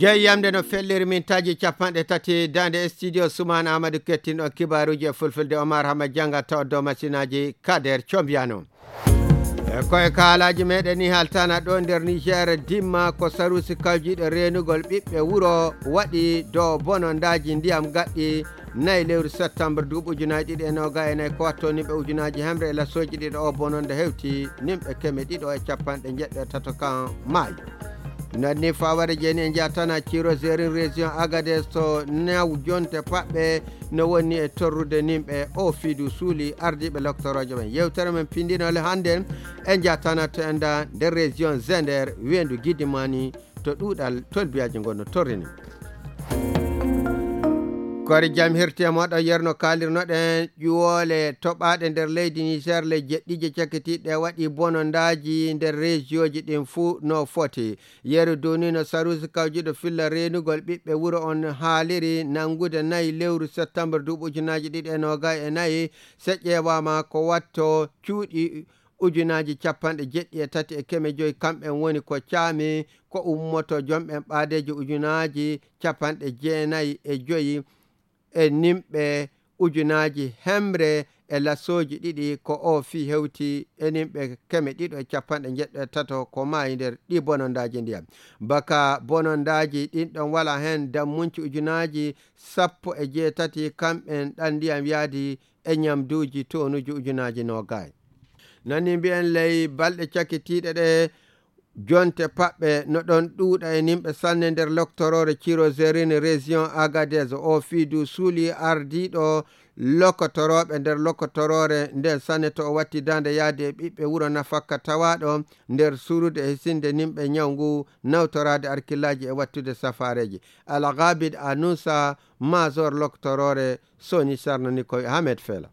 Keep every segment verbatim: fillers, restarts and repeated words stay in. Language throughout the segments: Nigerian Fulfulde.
jeeyamde no felliri min taji capanɗe tati dande studio Soumana Amadou kettinɗo kibaruji e fulfulde Omar Hama Janga taw dow machinaji Kader Combiano e koye kaalaji meɗen ni haltana ɗo nder Niger dimma ko sarusi kawjiɗo renugol ɓiɓɓe wuro waɗi dow bonondaji ndiyam gaɗɗi nayi lewru septembre duuɓi ujunaji ɗiɗi e noga e nayyi ko watto nimɓe ujunaji hemre e lasoji ɗiɗo o bononda hewti nimɓe keme ɗiɗo e capanɗe jeɗɗe tato kan maayo nanni faware jeni en jatana ciro zerin région Agadez to new jonte paɓɓe no woni e torrude nimɓe o fiidu suuli ardiɓe loctoroje men yewtere men pindinole hande en jatana to enda nder région Zender wendu Guidimani to ɗuɗal tolbiyaji gonno torrini kori jam hirti e moɗo yerno kalirnoɗen ƴuwole toɓaɗe nder leydi Niger le jeɗɗije cakkitiɗe waɗi bonondaji nder région ji ɗin fuu no foti yeru duni no sarusi kawjiɗo filla renugol ɓiɓɓe wuro on haaliri nangude nayi lewru septembre duuɓi ujunaji ɗiɗi e noga e nayyi se ƴeewama ko watto cuuɗi ujunaji capanɗe jeɗɗi e tati e keme joyi kamɓen woni ko caami ko ummoto jomɓen ɓaadeji ujunaji capanɗe jeenayyi e joyi e nimɓe ujunaji hemre e lasoji ɗiɗi ko o fi hewti e nimɓe keme ɗiɗo e capanɗe jeɗɗe tato ko maayi nder ɗi bonondaji ndiyam baka bonondaji ɗin ɗon wala hen dammunci ujunaji sappo e jeetati kamɓen ɗan ndiyam yaadi e ñamduji tonuji ujunaji nogayi nani mbiyen ley balɗe cakkitiɗe ɗe jonte paɓɓe no ɗon ɗuuɗa e nimɓe sanne nder loctorore ciro zerine région Agadez o fiidu suuli ardiɗo lokotoroɓe nder lokotorore nden sanne to o watti dande yaade e ɓiɓɓe wuro nafakka tawaɗo nder surude e sinde nimɓe ñawgu nawtorade arkillaji e wattude safareji algabid anousa major loctorore soni sarnani koye Ahmed Fela.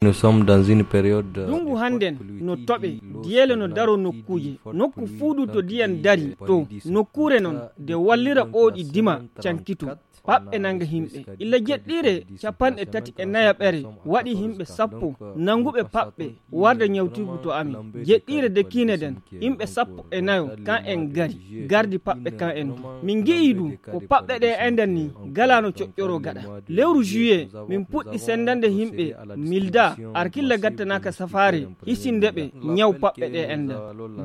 Nous sommes dans une période dungu handen no toɓe diyele no daro nokkuje nokku fuudu to diyan dari to nokkure non de wallira oɗi dima cankitu paɓɓe nanga himɓe illa jeɗɗire capanɗe tati e nayaɓere waɗi himɓe sappo nanguɓe paɓɓe warda ñawtirgu to amin jeɗɗire de kineden himɓe sappo e nayo kan en gari gardi paɓɓe kan en min gi'i ɗum ko paɓɓe ɗe enden ni galano coƴƴoro gaɗa lewru juillet min puɗɗi sendande himɓe milda arkilla gattanaka safare hisindeɓe ñaw paɓɓe ɗe enden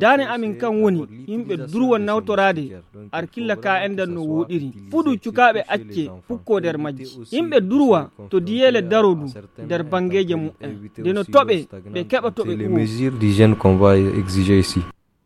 dane amin kan woni himɓe durwa nawtorade arkilla ka enden no woɗiri fuɗu cukaɓe acce pukko nder majji yimɓe durwa to diyele daro du nder bangeje mu'en de no toɓe ɓe keɓa toɓe les mesures d'hygiène qu'on va exiger ici.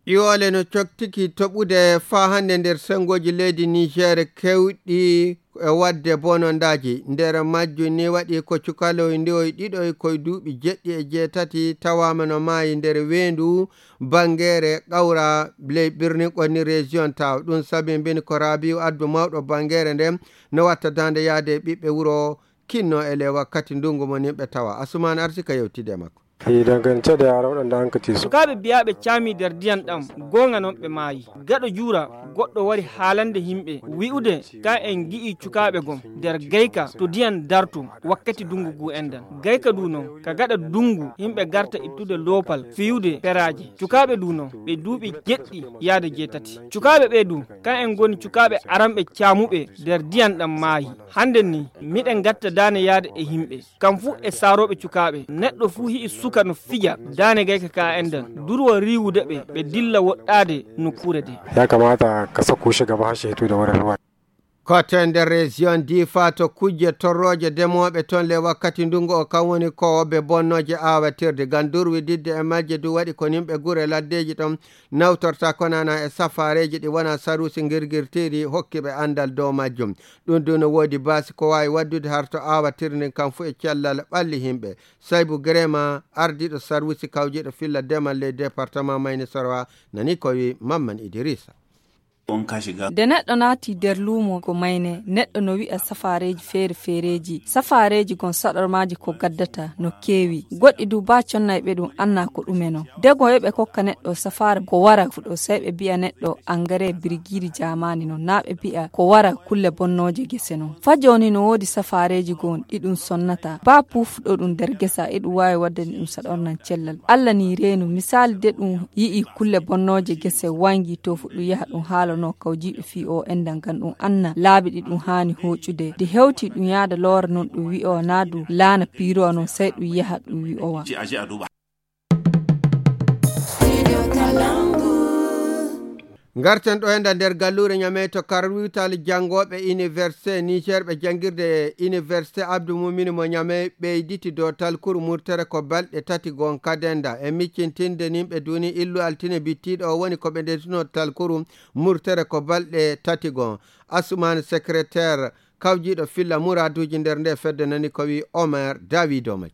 Iwole no coktiki toɓude fa hande nder sengoji leydi Niger kewɗi e wadde bonondaji nder majju ni waɗi ko cukaloy ndiwoy ɗiɗoy koye duuɓi jeɗɗi e jeetati tawama no maayi nder wendu bangere ƙawra ley ɓirni ƙonni région taw ɗum sabi mbini ko Rabiu addu mawɗo bangere nden no watta dande yaade e ɓiɓɓe wuro kinno e le wakkati ndungu mo nimɓe tawa Asumani arsika yewtide makko e dangance da yara waɗanda hankati su sukaɓe biyaɓe caami nder diyan ɗam gonga noon ɓe maayi gaɗo juura goɗɗo wari haalande himɓe wi'ude ka en gi'i cukaɓe gon nder gayka to diyan dartu wakkati dungu gu endan gayka du noon ka gaɗa dungu himɓe garta ittude loopal fiyude peraji cukaɓe du noon ɓe duuɓi jeɗɗi yaade jeetati cukaɓe ɓe du ka en goni cukaɓe aranɓe caamuɓe nder diyan ɗam maayi hande ni miɗen gatta dane yaade e himɓe kam fu e saaroɓe cukaɓe neɗɗo fu hi'i suka no fija dane gayka ka enden durwa riwude ɓe ɓe dilla woɗɗade nokkure de ya kamata ka sako shi gaba hashe to da wurin ruwa kote nder région Difa to kujje torroje demoɓe toon le wakkati ndungu o kan woni kowoɓe bonnoje awatirde gandurwi didde e majje du waɗi ko nimɓe gure laddeji ɗon nawtorta konana e safareji ɗi wona sarusi girgirtiri hokkiɓe andal dow majjum ɗum du no woodi basi ko wawi waddude harto awatirde kan fu e cellal ɓalli himɓe Saybou Grema ardiɗo sarusi kawjiɗo filla demal ley département Mayni Sorwa nani ko wi Mamman Idrissa nde neɗɗo naati nder luumo ko mayne neɗɗo no wi'a safareji feere feereji safareji gon saɗormaji ko gaddata no keewi goɗɗi du ba connayɓe ɗum anna ko ɗumeno dego heɓe kokka neɗɗo safara ko wara fuɗo sai ɓe mbi'a neɗɗo engrais birigiri jamani no na ɓe mbi'a ko wara kulle bonnoje gese non fa joni no woodi safareji gon ɗi ɗum sonnata ba pufɗo ɗum nder gesa e ɗum wawi waddani ɗum saɗornan cellal Allah ni reenu misali de ɗum yi'i kulle bonnoje gese wangi to fuɗɗum yaha ɗum haalo loorano kawjiɗo fi o endan ngam ɗum anna laabi ɗi ɗum haani hoccude de hewti ɗum yaada loora non ɗum wi o naadu laana piiro non sey ɗum yaha ɗum wi o wa garten ɗo enda nder gallure ñame to karwital jangoɓe université niger ɓe jangirde université abdou mumini mo ñame ɓeyditi dow talkuru murtere ko balɗe tati gon kadenda e miccintinde nimɓe duni illu altine bittiɗo o woni koɓe ndetino talkuru murtere ko balɗe tati gon asumane secrétaire kawjiɗo filla muraduji nder nde fedde nani ko wi Omer David Omaj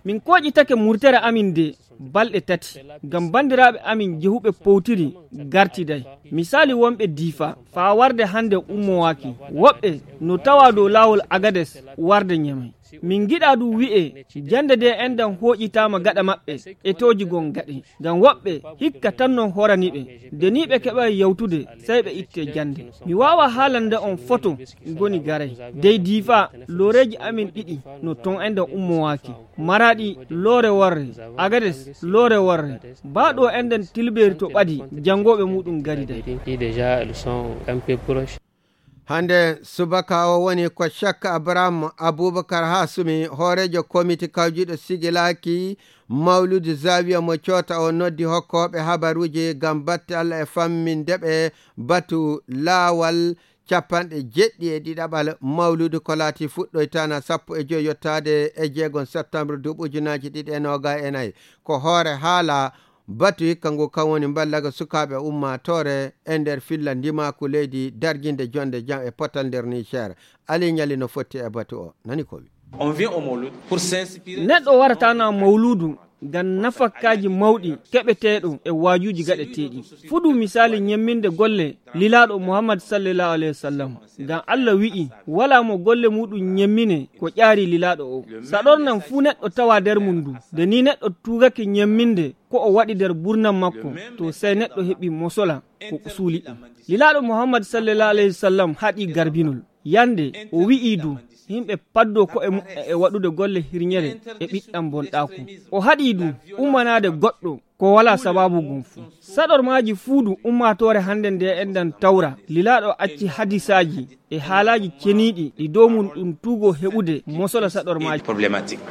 min koƴitake murtere amin de balɗe tati ngam bandiraɓe amin jehuɓe powtiri gartiday misali wonɓe diifa faa warde hande ummowaki woɓɓe no tawa dow lawol agades warde ñamay min giɗa ɗum wi'e jande de endan hoƴitama gaɗa maɓɓe e toji gon gaɗe ngam woɓɓe hikka tan non horaniɓe nde ni ɓe keɓa yawtude sey ɓe itte jande mi wawa haalande on photo goni garay dey diifa loreji amin ɗiɗi no ton endan ummowaki maraɗi loore warre agades loore warre baɗo endan tilberi to ɓadi jangoɓe muɗum garida hande subaka o woni ko Chaka Abraham Aboubacar Hasumi horejo comité kawjiɗo sigilaki mawludu zawiya mo coota o noddi hokkoɓe habaruji gam batte Allah e fammindeɓe batu laawal capanɗe jeɗɗi e ɗiɗaɓal mawludu ko laati fuɗɗoytana sappo e joyi yottade e jeegon septembre duuɓi ujunaji ɗiɗi e noga e nayyi ko hoore haala batu hikka ngu kan woni ballaga sukaɓe ummatore e nder filla ndimaku leydi darjinde jonde jam e potal nder Niger ali ñali no fotti e batu o nani ko wi neɗɗo waratana mawludu ngam nafakkaji mawɗi keɓeteɗo e wajuji gaɗeteɗi fuɗu misali ñemminde golle lilaɗo Muhammad sallallahu alaihi wasallam ngam Allah wi'i wala mo golle muɗum ñemmine ko ƴaari lilaɗo o saɗornan fu neɗɗo tawa nder mundu de ni neɗɗo tugake ñemminde ko o waɗi nder burnam makko to sey neɗɗo heɓi mosola ko suuli ɗum lilaɗo Muhammad sallallahu alaihi wasallam haɗi garbinol yande o wi'i du himɓe paddo ko e muɓɓe e waɗude golle hirñere e ɓiɗɗam bonɗaku o haɗi du ummanade goɗɗo ko wala sababu gum fu saɗormaji fuudu ummatore hande nde endan tawra lilaɗo acci hadisaji e haalaji ceniɗi ɗi dow mum ɗum tuugo heɓude mosola saɗormaji problématique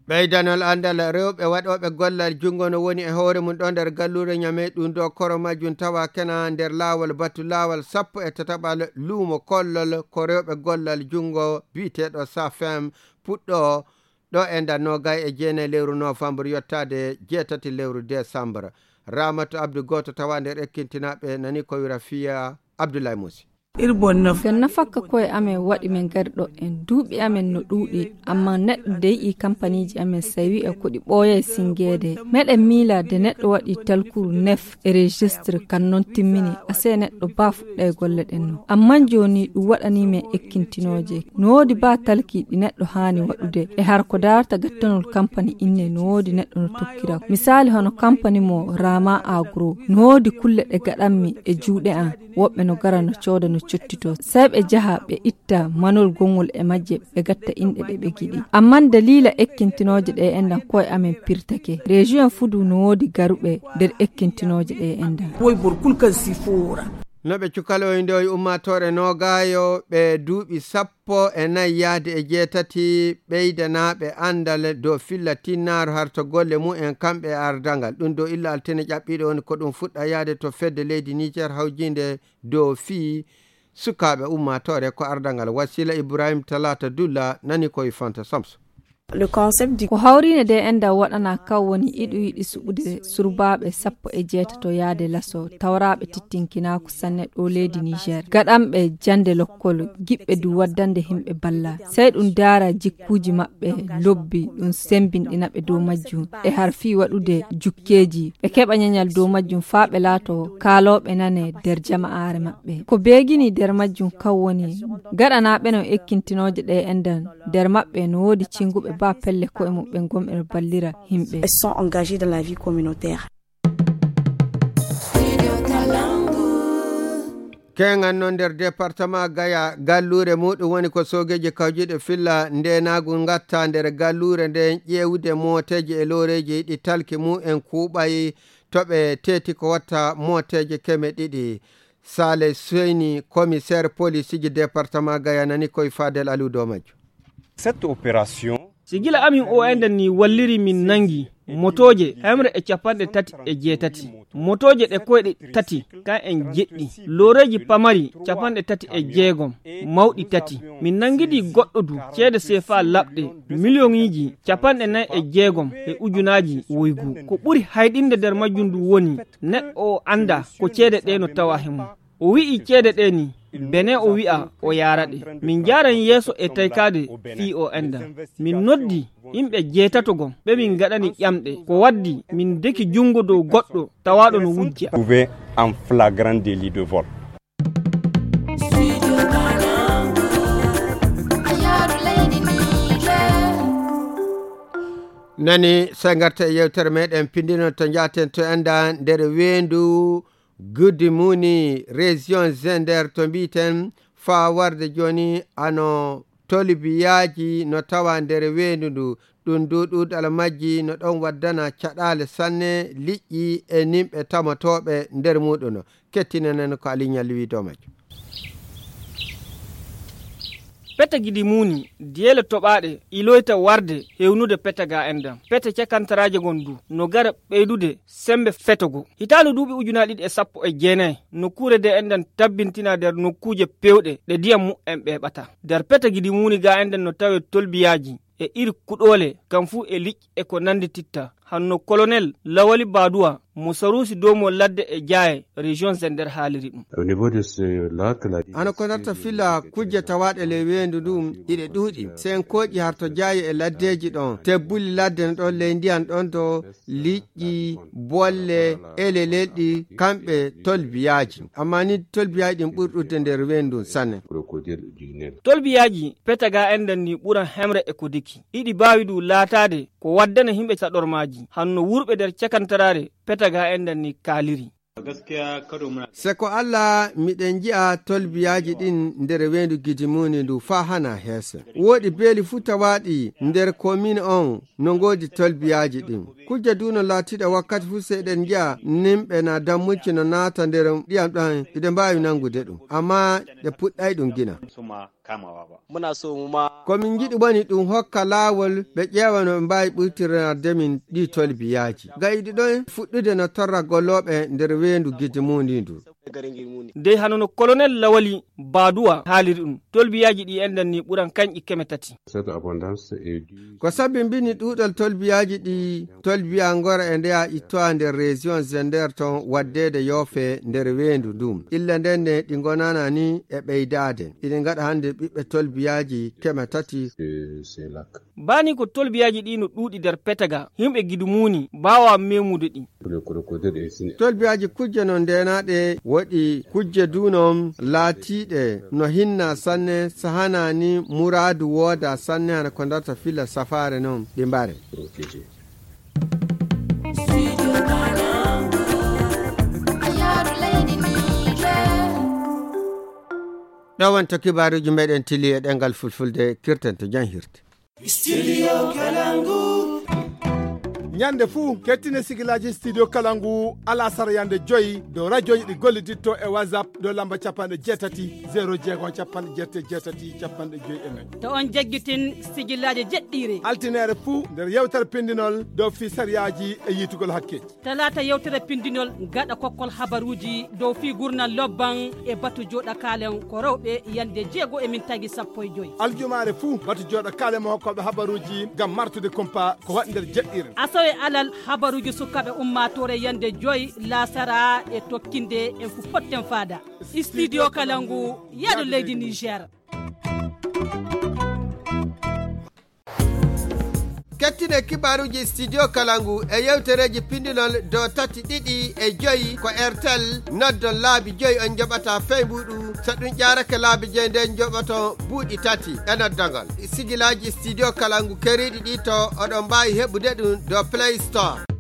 ɓeydanol andal rewɓe waɗoɓe gollal jungo no woni e hoore mum ɗo nder gallure ñame ɗum ɗo koro majjum tawa kena nder laawol batu laawol sappo e tataɓal luumo kollol ko rewɓe gollal jungo biyeteɗo safem puɗɗo ɗo e nder nogay e jeenayi lewru novembre yottade jeetati lewru décembre Ramatu Abdou goto tawa nder ekkintinaɓe nani ko wira fiya Abdoulaye Moussi gan nafakka koye amen waɗi min gari ɗo en duuɓi amen no ɗuuɗi amma neɗɗo deyi kampaniji amen sawi e koɗi ɓooya e singede meɗen miila de neɗɗo waɗi talkuru nef e registre kan noon timmini ase neɗɗo ba fuɗɗa e golle ɗen no amma joni ɗum waɗanimen ekkintinoje no woodi ba talki ɗi neɗɗo haani waɗude e har ko darata gattanol campani inne no woodi neɗɗo no tokkira misali hono campani mo Rama Agro no woodi kulle ɗe gaɗanmi e juuɗe an woɓɓe no gara no cooda no cottito sai ɓe jaha ɓe itta manol gongol e majje ɓe gatta inɗe ɗe ɓe giɗi amma dalila ekkintinoje ɗe endan koye amen pirtake région fudu no woodi garuɓe nder ekkintinoje ɗe endan no ɓe cukaloyde o ummatore nogayo ɓe duuɓi sappo e nayyi yaade e jeetati ɓeydanaɓe andal dow filla tinnaro harto golle mumen kamɓe ardangal ɗum dow illa altine ƴaɓɓiɗo woni ko ɗum fuɗɗa yaade to fedde leydi Niger hawjinde dow fii sukaɓe ummatore ko ardangal Wasila Ibrahim Talata Dulla nani koye Fanta Samso le concept du ko hawrine de enda waɗana kaw woni iɗu yiɗi suɓude surbaɓe sappo e jeetato yaade laso tawraɓe tittinkinako sanne ɗo leydi Niger gaɗanɓe jande lokkol giɓɓe du waddande himɓe balla sey ɗum daara jikkuji maɓɓe lobbi ɗum sembinɗinaɓe dow majjum e har fi waɗude jukkeji ɓe keɓa ñañal dow majjum faa ɓe laato kaaloɓe nane nder jama'are maɓɓe ko beegini nder majjum kaw woni gaɗanaɓe no ekkintinoje ɗe endan nder maɓɓe no woodi cinguɓe ba pelle ko e mumɓe gomɓe ballira himɓe elles sont engagées dans la vie communautaire. kengan no nder département Gaya gallure muɗum woni ko sogeji kawjiɗe filla ndenagu gatta nder gallure nden ƴewude moteji e loreji ɗi talki mu'en kuuɓay toɓe teti ko watta moteje keme ɗiɗi. Sale Soyni commissaire police ji département gayanani koye Fadel Aliou dow majjo. Cette opération sigila amin o enden ni walliri min nangi motoje hemre e capanɗe tati e jeetati motoje ɗe koyɗe tati kan en jeɗɗi loreji pamari capanɗe tati e jeegom mawɗi tati min nangidi goɗɗo du ceede sefa laɓɗe millioniji capanɗe nayi e jeegom e ujunaji woygu ko ɓuri hayɗinde nder majjum du woni neɗɗo o anda ko ceede ɗe no tawa hemo o wi'i ceede ɗe ni bene o wi'a o yaraɗe min jaran yeeso e taykade fi o enda min noddi yimɓe jeetato gon ɓe min gaɗani ƴamɗe ko waddi min deki jungo dow goɗɗo tawaɗo no wujja en flagrant délit de vol. nani sangarta e yewtere meɗen pindino to jaten to enda nder wendu Guddi Muni région Zender to mbiten fa warde joni ano tolibiyaji no tawa nder wendu ndu ɗum duɗuɗal majji no ɗon waddana caɗale sanne liƴƴi e nimɓe tamotoɓe nder muɗum kettinanen ko aliñal wi dow majjo. pete Guddi Muni diyele toɓaɗe iloyta warde hewnude pete ga endam pete cakantaraje gondu no gara ɓeydude sembe fetogo hitanu duuɓi ujuna ɗiɗi e sappo e jeenayi nokkure de endan tabbintina nder nokkuje pewɗe ɗe ndiyam mu'en ɓeɓata nder pete Guddi Muni ga enden no tawe tolbiyaji e iri kuɗole kam fu e liƴƴi e ko nandi titta hanno colonel Lawali Baduwa mo sarusi domo ladde e jaaye région Zender haaliri ɗum. Au niveau de ce lac là ano ko narta filla kujje tawaɗe le wendu ɗum ɗiɗe ɗuuɗi sen koƴi harto jaaye e laddeji ɗon tebbuli ladde no ɗon ley ndiyan ɗon to liƴƴi bolle ele lelɗi kamɓe tolbiyaji amma ni tolbiyaji ɗin ɓurɗude nder wendu sanne. tolbiyaji petaga enden ni ɓuran hemre e ko diki ɗiɗi bawi du laatade ko waddana himɓe saɗormaji hanno wurɓe nder cakantarare petaga enden ni kaaliri. seko Allah miɗen ji'a tolbiyaji ɗin nder wendu Guddi Muni ndu fa hana heese woɗi beeli fu tawaɗi nder commune on no ngodi tolbiyaji ɗin kujje duno laatiɗo wakkati fu seɗen ji'a nimɓe na dammucci no naata nder ɗiyam ɗan iɗe mbawi nangude ɗum amma ɗe puɗɗay ɗum gina muna so mu ma komin jiɗi woni ɗum hokka laawol ɓe ƴeewa no ɓe mbawi ɓurtirnade min ɗi tolbiyaji gayiɗi ɗon fuɗɗude no torra golloɓe nder wendu Guddi Muni ndu de hanono colonel Lawali Baduwa haaliri ɗum tolbiyaji ɗi enden ni ɓuran kanƴi keme tati ko sabi mbini ɗuɗal tolbiyaji ɗi tolbiya ngora e ndeya ittoa nder région Zender ton waddede yoofe nder wendu ndum illa ndenne ɗi gonana ni e ɓeydade iɗi gaɗa hande ɓiɓɓe tolbiyaji keme tati bani ko tolbiyaji ɗi no ɗuuɗi nder petaga yimɓe Guddi Muni bawa memude ɗi tolbiyaji kujje no ndenaɗe waɗi kujje dunom laatiɗe no hinna sanne sahanani muradu wooda sanne hana ko darta filla safare noon ɗi mbare ɗo wonto kibaruji meɗen tili e ɗengal fulfulde kirten to jan hirte Studio Kalangu. Nyande fuu kettine sigilaji studio Kalangu ala sara yande joyi do radio ɗi golliditto e WhatsApp do lamba capanɗe jeetati zéro jeegom capanɗe jeette jeetati capanɗe joyi e nayyi to on jaggitin sigilaji jeɗɗiri altinere fuu nder yewtere pindinol dow fi sariyaji e yitugol hakkeji talata yewtere pindinol gaɗa kokkol habaruji dow fi gurnal lobban e batu joɗa kalen ko rewɓe yande jeego e min tagi sappo e joyi aljumare fuu batu joɗa kalen mo hokkoɓe habaruji gam martude kumpa ko waɗi nder jeɗɗire e alal habaruji sukaɓe ummatore yande joyi lasara e tokkinde en fu potten fada studio Kalangu yaɗo leydi Niger. kettine kibaruji studio Kalangu e yewtereji pindinol do tati ɗiɗi e joyi ko Airtel noddon laabi joyi on joɓata feymuɗum so ɗum ƴarake laabi joyi nden joɓoto buuɗi tati e noddogol sigilaji studio Kalangu keriɗi ɗi to oɗon mbawi heɓude ɗum do Play Store.